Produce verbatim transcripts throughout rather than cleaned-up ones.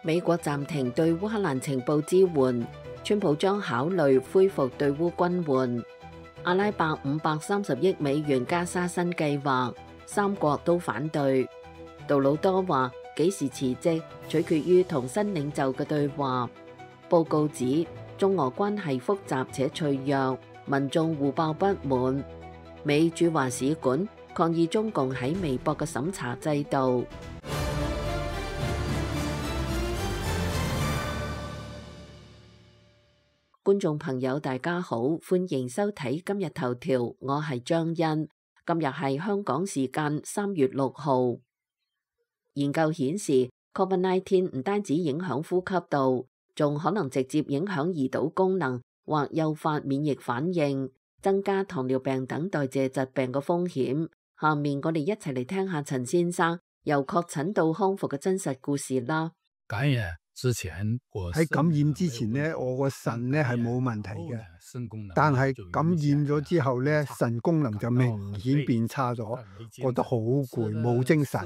美國暫停對烏克蘭情報支援，川普將考慮恢復對烏軍援。阿拉伯五百三十億美元加沙新計劃，三國都反對。杜魯多話幾時辭職取決於同新領袖嘅對話。報告指中俄關係複雜且脆弱，民眾互爆不滿。美駐華使館抗議中共喺微博嘅審查制度。觀眾朋友大家好，歡迎收睇今日頭條，我係張欣。今日係香港時間三月六號。研究顯示 ，Covid 十九 唔單止影響呼吸道，仲可能直接影響胰島功能或誘發免疫反應，增加糖尿病等代謝疾病嘅風險。下面我哋一齊嚟聽下陳先生由確診到康復嘅真實故事啦。感染之前，喺感染之前呢，我個腎呢係冇問題嘅，但係感染咗之後呢，腎功能就明顯變差咗，覺得好攰，冇精神。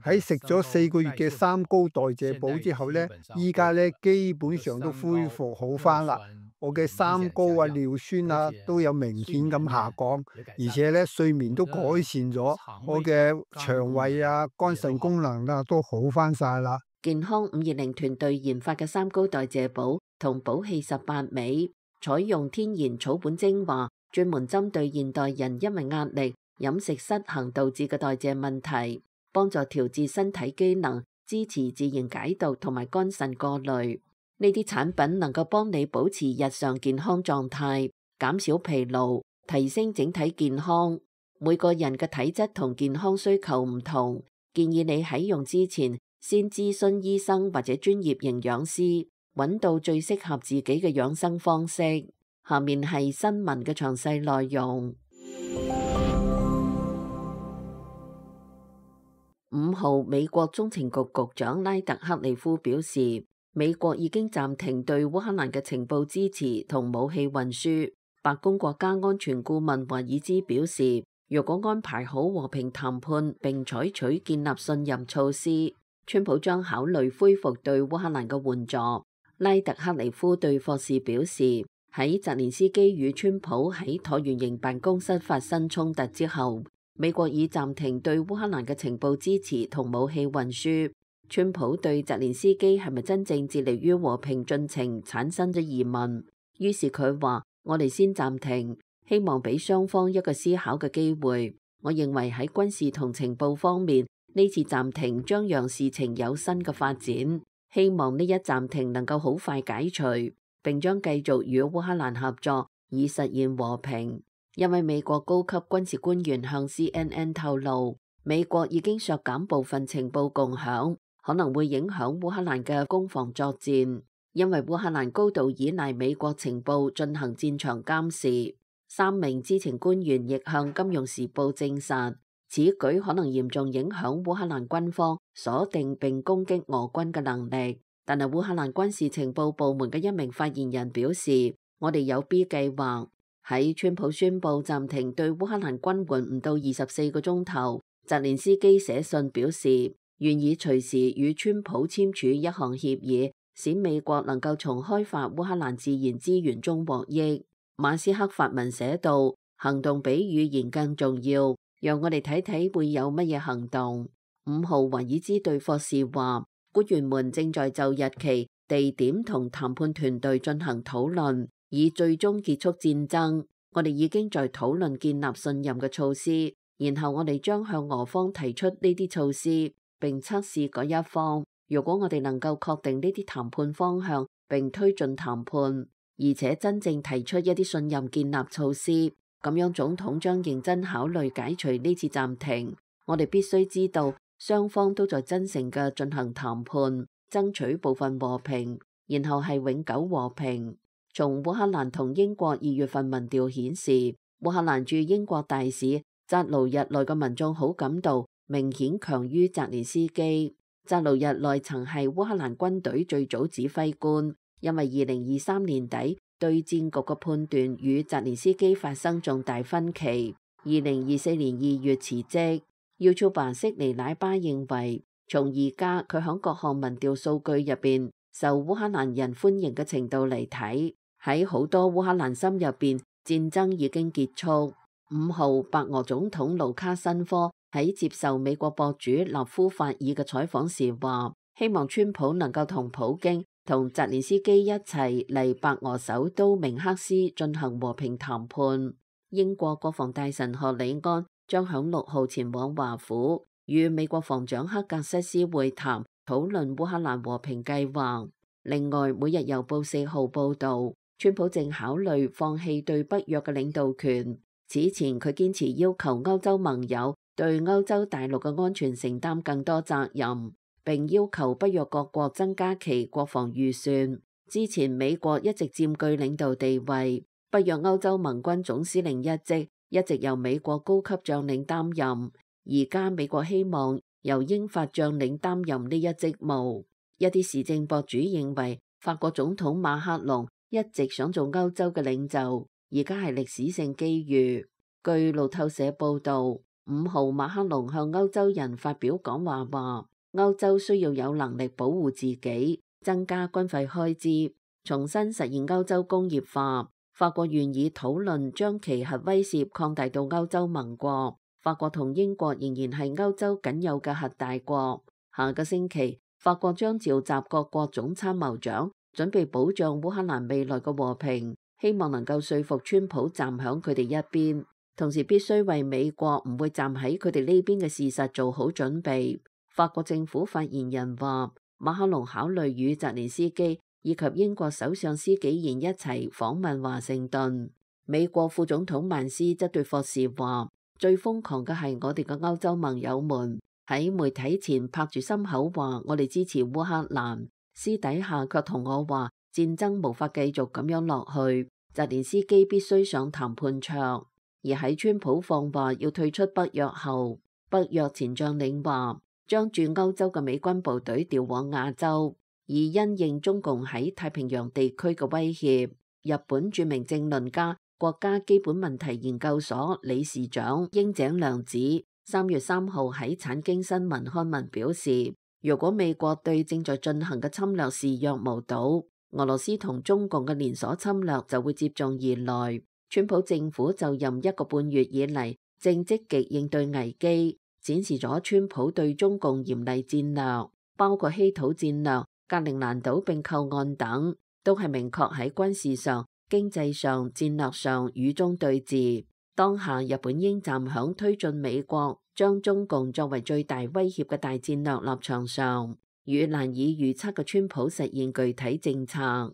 喺食咗四個月嘅三高代謝補之後呢，依家呢基本上都恢復好返啦。我嘅三高啊、尿酸啊都有明顯咁下降，而且呢睡眠都改善咗，我嘅腸胃啊、肝腎功能啊都好返晒啦。健康五二零團隊研發嘅三高代謝補同補氣十八味，採用天然草本精華，專門針對現代人因為壓力、飲食失衡導致嘅代謝問題，幫助調節身體機能，支持自然解毒同埋肝腎過濾。呢啲產品能夠幫你保持日常健康狀態，減少疲勞，提升整體健康。每個人嘅體質同健康需求唔同，建議你喺用之前先諮詢醫生或者專業營養師，揾到最適合自己嘅養生方式。下面係新聞嘅詳細內容。五號，美國中情局局長拉特克利夫表示，美國已經暫停對烏克蘭嘅情報支持同武器運輸。白宮國家安全顧問華爾茲表示，若果安排好和平談判並採取建立信任措施，川普將考慮恢復對烏克蘭嘅援助。拉特克利夫對霍士表示，喺澤連斯基與川普喺橢圓形辦公室發生衝突之後，美國已暫停對烏克蘭嘅情報支持同武器運輸。川普對澤連斯基係咪真正致力於和平進程產生咗疑問，於是佢話：我哋先暫停，希望俾雙方一個思考嘅機會。我認為喺軍事同情報方面，呢次暫停將讓事情有新嘅發展，希望呢一暫停能夠好快解除，並將繼續與烏克蘭合作以實現和平。因為美國高級軍事官員向 C N N 透露，美國已經削減部分情報共享，可能會影響烏克蘭嘅攻防作戰，因為烏克蘭高度依賴美國情報進行戰場監視。三名知情官員亦向《金融時報》證實，此舉可能嚴重影響烏克蘭軍方鎖定並攻擊俄軍嘅能力。但係烏克蘭軍事情報部門嘅一名發言人表示，我哋有 B 計劃。喺川普宣布暫停對烏克蘭軍援唔到二十四個鐘頭，澤連斯基寫信表示願意隨時與川普簽署一項協議，使美國能夠從開發烏克蘭自然資源中獲益。馬斯克發文寫道：行動比語言更重要，讓我哋睇睇會有乜嘢行動。五號，華爾茲對霍士話，官員們正在就日期、地點同談判團隊進行討論，以最終結束戰爭。我哋已經在討論建立信任嘅措施，然後我哋將向俄方提出呢啲措施，並測試嗰一方。如果我哋能夠確定呢啲談判方向，並推進談判，而且真正提出一啲信任建立措施，咁樣總統將認真考慮解除呢次暫停。我哋必須知道，雙方都在真誠嘅進行談判，爭取部分和平，然後係永久和平。從烏克蘭同英國二月份民調顯示，烏克蘭駐英國大使扎盧日內嘅民眾好感度明顯強於澤連斯基。扎盧日內曾係烏克蘭軍隊最早指揮官，因為二零二三年底對戰局嘅判斷與澤連斯基發生重大分歧，二零二四年二月辭職。YouTuber悉尼奶巴認為，從而家佢響各項民調數據入邊受烏克蘭人歡迎嘅程度嚟睇，喺好多烏克蘭心入邊，戰爭已經結束。五號，白俄總統盧卡申科喺接受美國博主納夫法爾嘅採訪時話，希望川普能夠同普京同澤連斯基一齊嚟白俄首都明克斯進行和平談判。英國國防大臣賀里安將響六號前往華府，與美國防長克格瑟斯會談，討論烏克蘭和平計劃。另外，每日郵報四號報道，川普正考慮放棄對北約嘅領導權。此前佢堅持要求歐洲盟友對歐洲大陸嘅安全承擔更多責任，並要求北約各國增加其國防預算。之前美國一直佔據領導地位，北約歐洲盟軍總司令一職一直由美國高級將領擔任，而家美國希望由英法將領擔任呢一職務。一啲時政博主認為，法國總統馬克龍一直想做歐洲嘅領袖，而家係歷史性機遇。據路透社報道，五號馬克龍向歐洲人發表講話，話歐洲需要有能力保護自己，增加軍費開支，重新實現歐洲工業化。法國願意討論將其核威懾擴大到歐洲盟國。法國同英國仍然係歐洲僅有嘅核大國。下個星期，法國將召集各國總參謀長，準備保障烏克蘭未來嘅和平，希望能夠說服川普站響佢哋一邊，同時必須為美國唔會站喺佢哋呢邊嘅事實做好準備。法國政府發言人話，馬克龍考慮與澤連斯基以及英國首相施紀賢一齊訪問華盛頓。美國副總統曼斯則對霍士話，最瘋狂嘅係我哋嘅歐洲盟友們喺媒體前拍住心口話我哋支持烏克蘭，私底下卻同我話戰爭無法繼續咁樣落去，澤連斯基必須上談判桌。而喺川普放話要退出北約後，北約前將領話將駐歐洲嘅美軍部隊調往亞洲，以因應中共喺太平洋地區嘅威脅。日本著名政論家、國家基本問題研究所理事長櫻井良子三月三號喺產經新聞刊文表示，如果美國對正在進行嘅侵略視若無睹，俄羅斯同中共嘅連鎖侵略就會接踵而來。川普政府就任一個半月以嚟，正積極應對危機，展示咗川普對中共嚴厲戰略，包括稀土戰略、格陵蘭島並購案等，都係明確喺軍事上、經濟上、戰略上與中對峙。當下日本應站響推進美國將中共作為最大威脅嘅大戰略立場上，與難以預測嘅川普實現具體政策。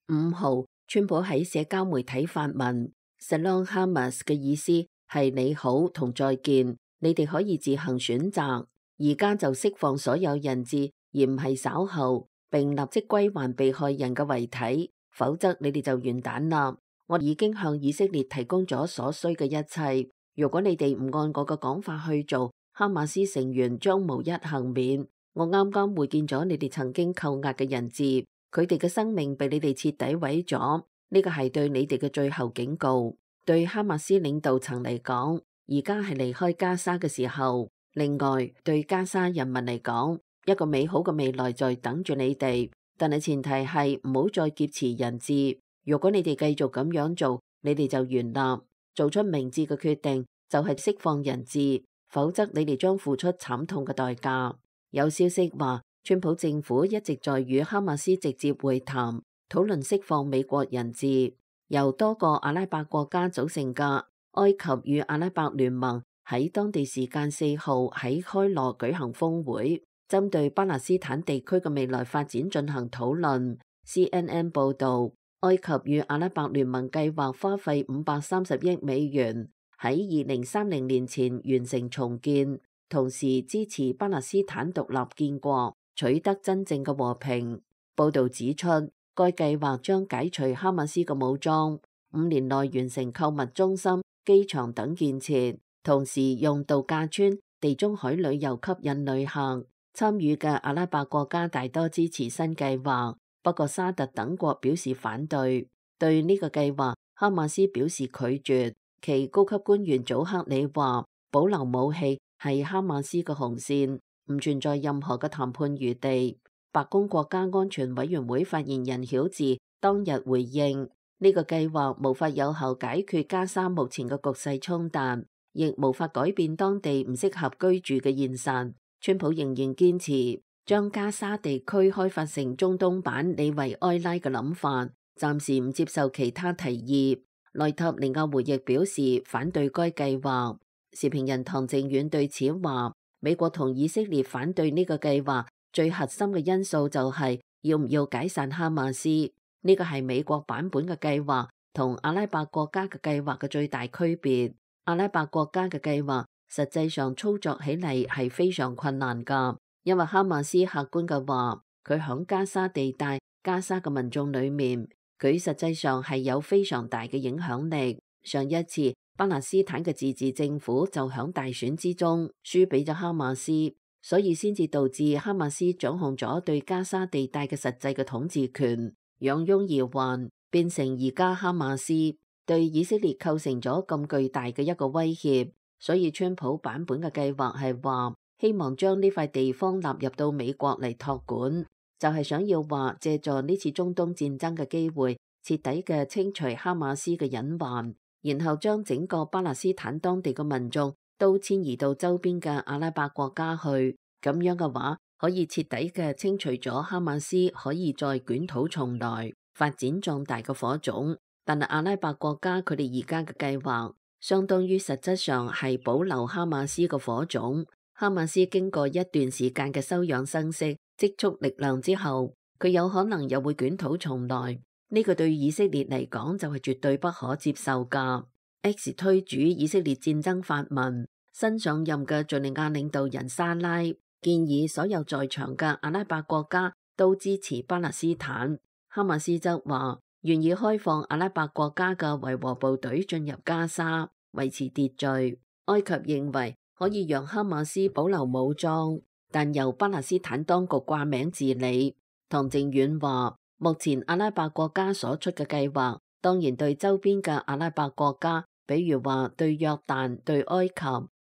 五號，川普喺社交媒體發文 Shalom Hamas 嘅意思係你好同再見，你哋可以自行選擇，而家就釋放所有人質，而唔係稍後，並立即歸還被害人嘅遺體，否則你哋就完蛋啦。我已經向以色列提供咗所需嘅一切，如果你哋唔按我嘅講法去做，哈馬斯成員將無一幸免。我啱啱會見咗你哋曾經扣押嘅人質，佢哋嘅生命被你哋徹底毀咗，呢個係對你哋嘅最後警告。對哈馬斯領導層嚟講，而家係離開加沙嘅時候。另外，對加沙人民嚟講，一個美好嘅未來在等住你哋，但係前提係唔好再劫持人質。如果你哋繼續咁樣做，你哋就完啦。做出明智嘅決定就係釋放人質，否則你哋將付出慘痛嘅代價。有消息話，川普政府一直在與哈馬斯直接會談，討論釋放美國人質。由多個阿拉伯國家組成嘅埃及與阿拉伯聯盟喺當地時間四號喺開羅舉行峰會，針對巴勒斯坦地區嘅未來發展進行討論。C N N 報導，埃及與阿拉伯聯盟計劃花費五百三十億美元喺二零三零年前完成重建，同時支持巴勒斯坦獨立建國，取得真正嘅和平。報導指出，該計劃將解除哈馬斯嘅武裝，五年內完成購物中心、機場等建設，同時用度假村、地中海旅遊吸引旅客。參與嘅阿拉伯國家大多支持新計劃，不過沙特等國表示反對。對呢個計劃，哈馬斯表示拒絕。其高級官員祖克里話，保留武器係哈馬斯嘅紅線，唔存在任何嘅談判餘地。白宮國家安全委員會發言人曉治當日回應，呢個計劃無法有效解決加沙目前嘅局勢衝突，亦無法改變當地唔適合居住嘅現實。川普仍然堅持將加沙地區開發成中東版里維埃拉嘅諗法，暫時唔接受其他提議。內塔尼亞胡亦表示反對該計劃。時評人唐靖遠對此話，美國同以色列反對呢個計劃最核心嘅因素就係要唔要解散哈馬斯。呢個係美國版本嘅計劃同阿拉伯國家嘅計劃嘅最大區別。阿拉伯國家嘅計劃實際上操作起嚟係非常困難㗎，因為哈馬斯客觀嘅話，佢響加沙地帶、加沙嘅民眾裏面，佢實際上係有非常大嘅影響力。上一次巴勒斯坦嘅自治政府就響大選之中輸俾咗哈馬斯，所以先至導致哈馬斯掌控咗對加沙地帶嘅實際嘅統治權，養翁而還，變成而家哈馬斯對以色列構成咗咁巨大嘅一個威脅。所以川普版本嘅計劃係話希望將呢塊地方納入到美國嚟託管，就係想要話借助呢次中東戰爭嘅機會，徹底嘅清除哈馬斯嘅隱患，然後將整個巴勒斯坦當地嘅民眾都遷移到周邊嘅阿拉伯國家去。咁樣嘅話，可以徹底嘅清除咗哈馬斯可以再捲土重來、發展壯大嘅火種。但係阿拉伯國家佢哋而家嘅計劃，相當於實質上係保留哈馬斯嘅火種。哈馬斯經過一段時間嘅休養生息、積蓄力量之後，佢有可能又會捲土重來。呢個對以色列嚟講就係絕對不可接受㗎。X 推主以色列戰爭發文，新上任嘅敘利亞領導人沙拉建議所有在場嘅阿拉伯國家都支持巴勒斯坦。哈馬斯則話願意開放阿拉伯國家嘅維和部隊進入加沙，維持秩序。埃及認為可以讓哈馬斯保留武裝，但由巴勒斯坦當局掛名治理。唐靖遠話目前阿拉伯國家所出嘅計劃，當然對周邊嘅阿拉伯國家，比如話對約旦、對埃及，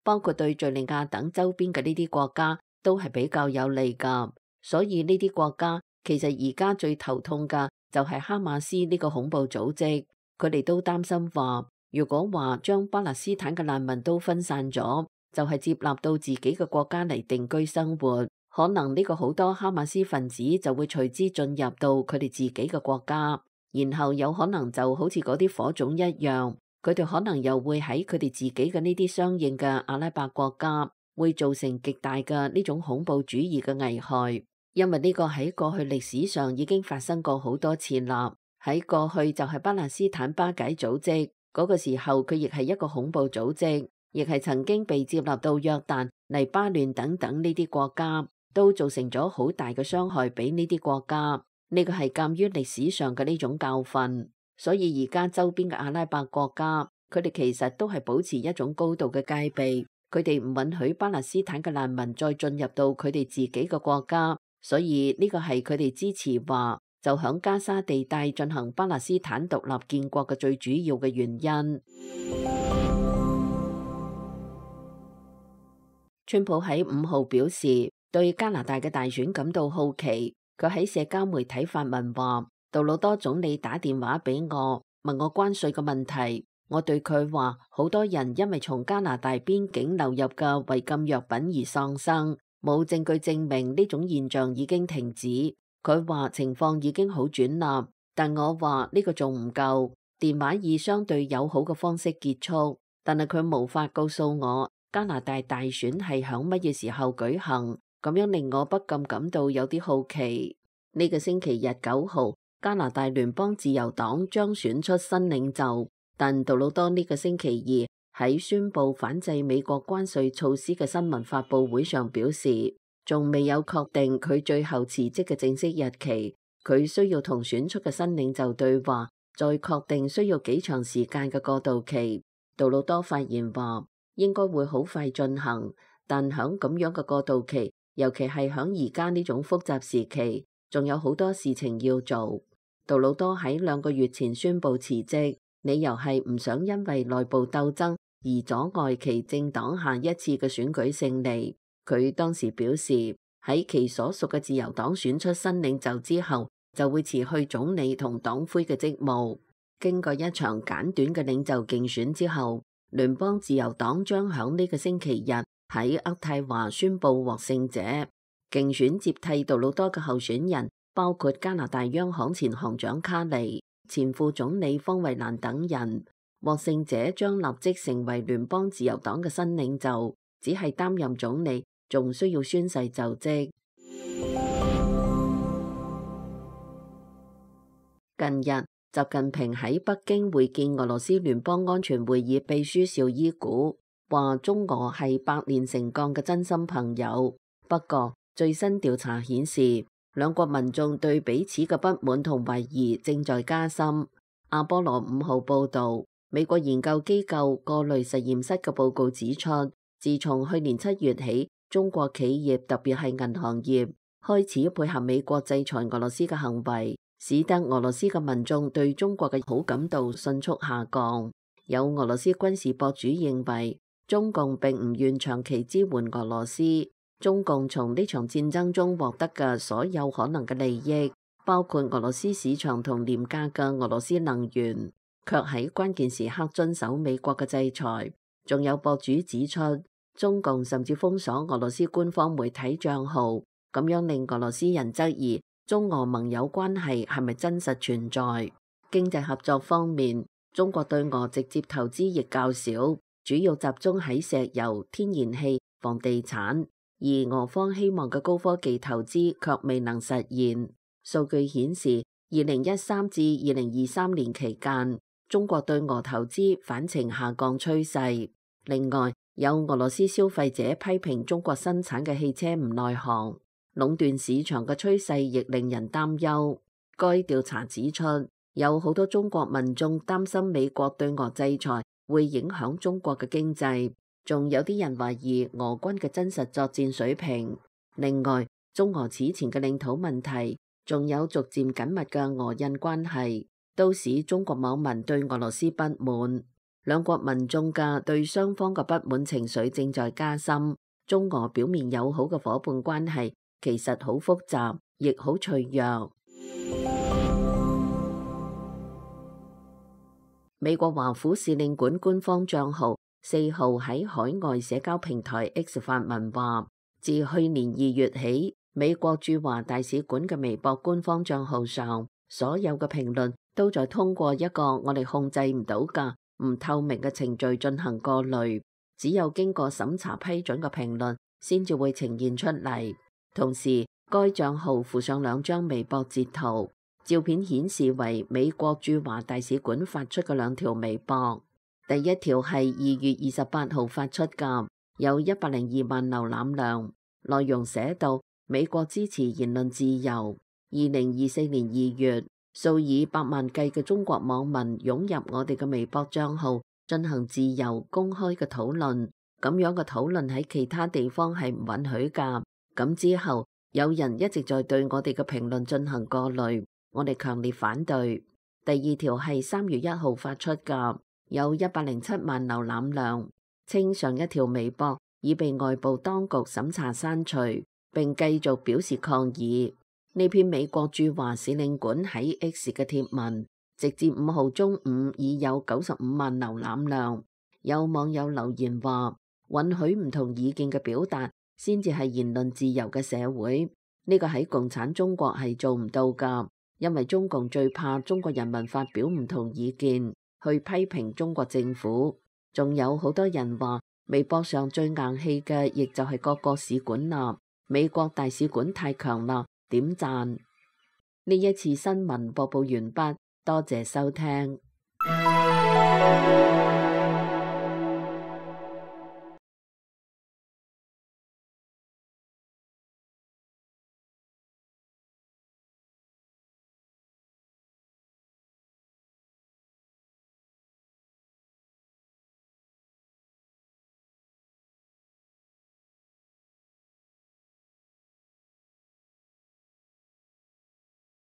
包括對敘利亞等周邊嘅呢啲國家，都係比較有利㗎。所以呢啲國家其實而家最頭痛嘅就係哈馬斯呢個恐怖組織。佢哋都擔心話，如果話將巴勒斯坦嘅難民都分散咗，就係接納到自己嘅國家嚟定居生活，可能呢個好多哈馬斯分子就會隨之進入到佢哋自己嘅國家，然後有可能就好似嗰啲火種一樣，佢哋可能又會喺佢哋自己嘅呢啲相應嘅阿拉伯國家，會造成極大嘅呢種恐怖主義嘅危害。因為呢個喺過去歷史上已經發生過好多次啦。喺過去就係巴勒斯坦巴解組織嗰個時候，佢亦係一個恐怖組織，亦係曾經被接納到約旦、黎巴嫩等等呢啲國家，都造成咗好大嘅傷害俾呢啲國家。呢個係鑑於歷史上嘅呢種教訓，所以而家周邊嘅阿拉伯國家，佢哋其實都係保持一種高度嘅戒備，佢哋唔允許巴勒斯坦嘅難民再進入到佢哋自己嘅國家。所以呢個係佢哋支持話就響加沙地帶進行巴勒斯坦獨立建國嘅最主要嘅原因。川普喺五號表示對加拿大嘅大選感到好奇，佢喺社交媒體發文話，杜魯多總理打電話俾我問我關稅嘅問題，我對佢話好多人因為從加拿大邊境流入嘅違禁藥品而喪生。冇證據證明呢種現象已經停止。佢話情況已經好轉啦，但我話呢個仲唔夠。電話以相對友好嘅方式結束，但係佢無法告訴我加拿大大選係響乜嘢時候舉行，咁樣令我不禁感到有啲好奇。呢個星期日九號，加拿大聯邦自由黨將選出新領袖，但杜魯多呢個星期二喺宣布反制美國關稅措施嘅新聞發佈會上表示，仲未有確定佢最後辭職嘅正式日期，佢需要同選出嘅新領袖對話，再確定需要幾長時間嘅過渡期。杜魯多發言話，應該會好快進行，但響咁樣嘅過渡期，尤其係響而家呢種複雜時期，仲有好多事情要做。杜魯多喺兩個月前宣布辭職，理由係唔想因為內部鬥爭而阻礙其政黨下一次嘅選舉勝利。佢當時表示，喺其所屬嘅自由黨選出新領袖之後，就會辭去總理同黨魁嘅職務。經過一場簡短嘅領袖競選之後，聯邦自由黨將響呢個星期日喺渥太華宣布獲勝者。競選接替杜魯多嘅候選人包括加拿大央行前行長卡尼、前副總理方慧蘭等人。獲勝者將立即成為聯邦自由黨嘅新領袖，只係擔任總理，仲需要宣誓就職。近日，習近平喺北京會見俄羅斯聯邦安全會議秘書紹伊古，話中俄係百煉成鋼嘅真心朋友。不過，最新調查顯示，兩國民眾對彼此嘅不滿同懷疑正在加深。阿波羅五號報道，美國研究機構過濾實驗室嘅報告指出，自從去年七月起，中國企業特別係銀行業開始配合美國制裁俄羅斯嘅行為，使得俄羅斯嘅民眾對中國嘅好感度迅速下降。有俄羅斯軍事博主認為，中共並唔願長期支援俄羅斯。中共從呢場戰爭中獲得嘅所有可能嘅利益，包括俄羅斯市場同廉價嘅俄羅斯能源，卻喺關鍵時刻遵守美國嘅制裁。仲有博主指出，中共甚至封鎖俄羅斯官方媒體賬號，咁樣令俄羅斯人質疑中俄盟友關係係咪真實存在。經濟合作方面，中國對俄直接投資亦較少，主要集中喺石油、天然氣、房地產。而俄方希望嘅高科技投資卻未能實現。數據顯示，二零一三至二零二三年期間，中國對俄投資反呈下降趨勢。另外，有俄羅斯消費者批評中國生產嘅汽車唔內行，壟斷市場嘅趨勢亦令人擔憂。該調查指出，有好多中國民眾擔心美國對俄制裁會影響中國嘅經濟。仲有啲人懷疑俄軍嘅真實作戰水平。另外，中俄此前嘅領土問題，仲有逐漸緊密嘅俄印關係，都使中國網民對俄羅斯不滿。兩國民眾嘅對雙方嘅不滿情緒正在加深。中俄表面友好嘅夥伴關係，其實好複雜，亦好脆弱。美國華府使領館官方賬號四號喺海外社交平台 X 發文話，自去年二月起，美國駐華大使館嘅微博官方賬號上，所有嘅評論都在通過一個我哋控制唔到嘅唔透明嘅程序進行過濾，只有經過審查批准嘅評論先至會呈現出嚟。同時，該賬號附上兩張微博截圖，照片顯示為美國駐華大使館發出嘅兩條微博。第一條係二月二十八號發出嘅，有一百零二萬瀏覽量，內容寫到美國支持言論自由。二零二四年二月，數以百萬計嘅中國網民湧入我哋嘅微博賬號進行自由公開嘅討論，咁樣嘅討論喺其他地方係唔允許㗎。咁之後有人一直在對我哋嘅評論進行過濾，我哋強烈反對。第二條係三月一號發出㗎，有一百零七萬瀏覽量，稱上一條微博已被外部當局審查刪除，並繼續表示抗議。呢篇美國駐華使領館喺 X 嘅貼文，直至五號中午已有九十五萬瀏覽量。有網友留言話，允許唔同意見嘅表達，先至係言論自由嘅社會。呢個喺共產中國係做唔到㗎，因為中共最怕中國人民發表唔同意見，去批評中國政府。仲有好多人話，微博上最硬氣嘅，亦就係各個使館啦。美國大使館太強啦，點讚。呢一次新聞播報完畢，多謝收聽。